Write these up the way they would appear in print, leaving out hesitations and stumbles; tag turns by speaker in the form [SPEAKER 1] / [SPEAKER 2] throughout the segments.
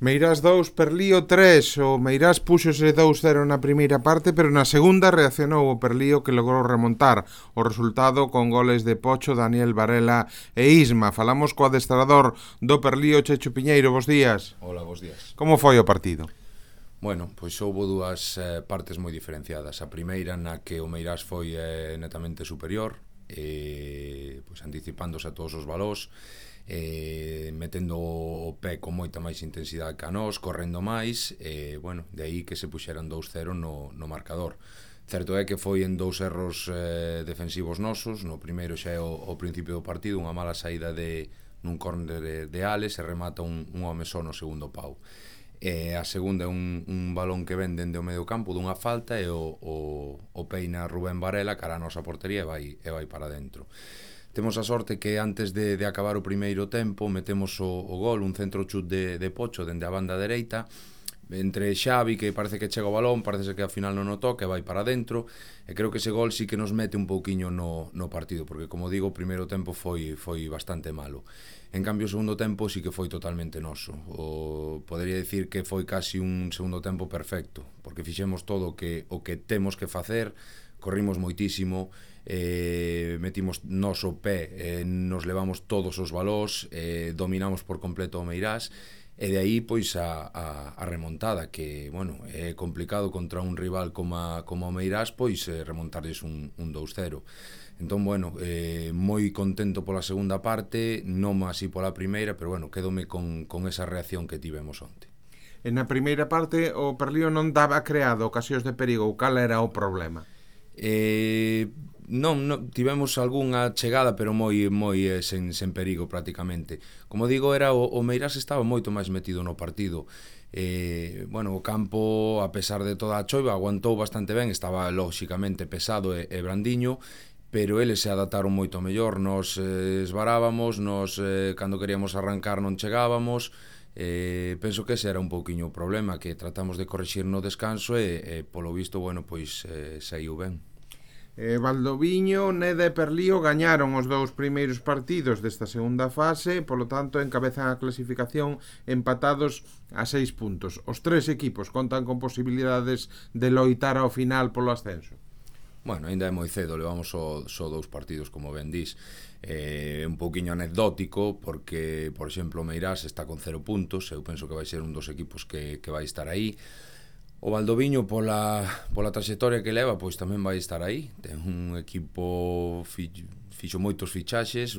[SPEAKER 1] Meirás 2, Perlío 3. O Meirás púxose 2-0 na primeira parte, pero na segunda reaccionou o Perlío, que logrou remontar o resultado con goles de Pocho, Daniel Varela e Isma. Falamos co adestrador do Perlío, Checho Piñeiro. Bos días.
[SPEAKER 2] Hola, bos días.
[SPEAKER 1] Como foi o partido?
[SPEAKER 2] Bueno, pois houbo dúas partes moi diferenciadas. A primeira na que o Meirás foi netamente superior, pois anticipándose a todos os balós, metendo o pé con moita máis intensidade que a nós, correndo máis, bueno, de aí que se puxeran 2-0 no marcador. Certo é que foi en dous erros defensivos nosos. No primeiro xa é o principio do partido, unha mala saída nun córner de Ales e remata un home só no segundo pau. A segunda é un balón que ven dende o medio campo dunha falta e o peina Rubén Varela cara a nosa portería e vai para dentro. Temos a sorte que antes de acabar o primeiro tempo metemos o gol, un centro chut de Pocho dende a banda dereita, entre Xavi, que parece que chega o balón, parece que ao final non o toca e vai para dentro, e creo que ese gol sí que nos mete un pouquiño no partido, porque como digo, o primeiro tempo foi bastante malo. En cambio, o segundo tempo sí que foi totalmente noso. Podería dicir que foi casi un segundo tempo perfecto, porque fixemos todo o que temos que facer, corrimos moitísimo, metimos noso pé, nos levamos todos os balós, dominamos por completo o Meirás, e de aí pois a remontada, que, bueno, é complicado contra un rival como o Meirás, pois remontarles un 2-0. Entón, bueno, moi contento pola segunda parte, non así pola primeira, pero bueno, quedome con esa reacción que tivemos onte.
[SPEAKER 1] Na primeira parte o Perlío non daba creado ocasións de perigo. Cal era o problema?
[SPEAKER 2] Non, tivemos algunha chegada, pero moi sen perigo prácticamente. Como digo, era o Meirás estaba moito máis metido no partido. Bueno, o campo, a pesar de toda a choiva, aguantou bastante ben, estaba lóxicamente pesado e brandiño, pero eles se adaptaron moito mellor. Nos esvarábamos, cando queríamos arrancar non chegábamos. Penso que ese era un pouquiño o problema, que tratamos de corrixir no descanso e polo visto, bueno, pois saiu ben.
[SPEAKER 1] Valdoviño, Neda e Perlío gañaron os dous primeiros partidos desta segunda fase, polo tanto encabezan a clasificación empatados a 6 puntos. Os tres equipos contan con posibilidades de loitar ao final polo ascenso.
[SPEAKER 2] Bueno, ainda é moi cedo, levamos só dous partidos, como ben dís. Un pouquiño anecdótico, porque, por exemplo, o Meirás está con 0 puntos, eu penso que vai ser un dos equipos que vai estar aí. O Valdoviño, pola trayectoria que leva, pois tamén vai estar aí. Ten un equipo fixo moitos fichaxes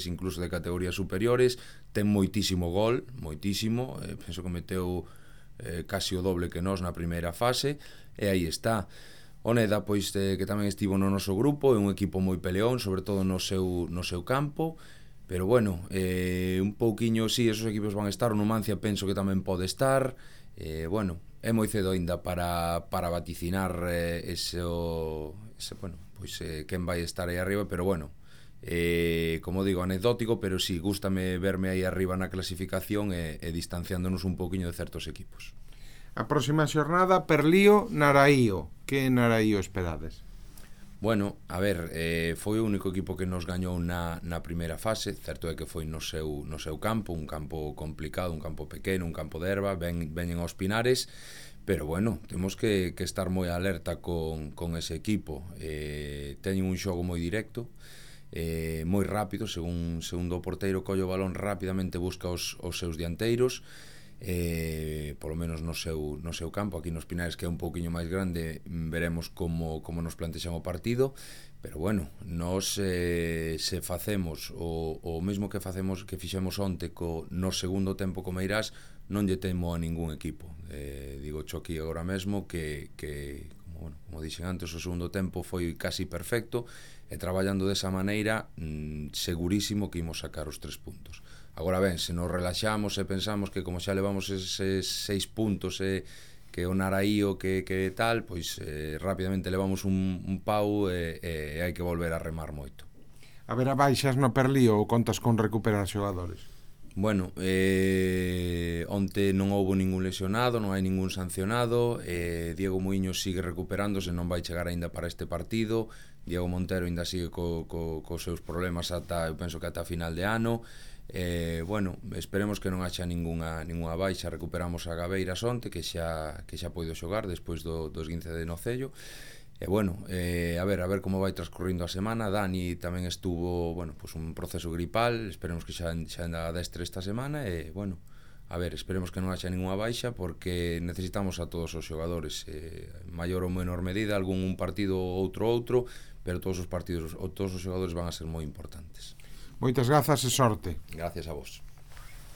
[SPEAKER 2] incluso de categorías superiores, ten moitísimo gol, moitísimo, penso que meteu casi o doble que nós na primeira fase, e aí está. O Neda, pois, que tamén estivo no noso grupo, é un equipo moi peleón, sobre todo no seu campo, pero bueno, un pouquiño, sí, esos equipos van estar. O Numancia penso que tamén pode estar. Bueno, é moi cedo ainda para vaticinar bueno, pois quen vai estar aí arriba, pero bueno, como digo, anecdótico, pero sí, gústame verme aí arriba na clasificación e distanciándonos un pouquiño de certos equipos.
[SPEAKER 1] A próxima xornada, Perlío, Naraío. Que Naraío esperades?
[SPEAKER 2] Bueno, a ver, foi o único equipo que nos gañou na primeira fase. Certo é que foi no seu campo, un campo complicado, un campo pequeno, un campo de erva, veñen aos Pinares, pero bueno, temos que estar moi alerta con ese equipo. Teñen un xogo moi directo, moi rápido, segundo o porteiro colle o balón rapidamente, busca os seus dianteiros, polo menos no seu campo. Aquí nos Pinares, que é un pouquiño máis grande, veremos como nos plantexan o partido, pero bueno, nos se facemos o mesmo que fixemos onte no segundo tempo co Meirás, non lle temo a ningún equipo. Digo cho aquí agora mesmo que como dixen antes, o segundo tempo foi casi perfecto, e traballando desa maneira, segurísimo que imos sacar os 3 puntos. Agora ben, se nos relaxamos e pensamos que como xa levamos eses 6 puntos que o Naraío que tal, pois rapidamente levamos un pau e hai que volver a remar moito.
[SPEAKER 1] Haberá baixas no Perlío ou contas con recuperar xogadores?
[SPEAKER 2] Bueno, onte non houbo ningún lesionado, non hai ningún sancionado, Diego Muiños sigue recuperándose, non vai chegar aínda para este partido. Diego Montero aínda sigue cos seus problemas eu penso que ata final de ano. Bueno, esperemos que non haxa ninguna baixa. Recuperamos a Gabeira onte, que xa poido xogar despois do esguince de nocello. E bueno, a ver como vai transcurrindo a semana. Dani tamén estuvo, bueno, pues un proceso gripal, esperemos que xa anda destre esta semana e, bueno, a ver, esperemos que non haxa ninguna baixa porque necesitamos a todos os xogadores, maior ou menor medida, algún un partido ou outro, pero todos os partidos, todos os xogadores van a ser moi importantes.
[SPEAKER 1] Moitas grazas e sorte.
[SPEAKER 2] Gracias a vos.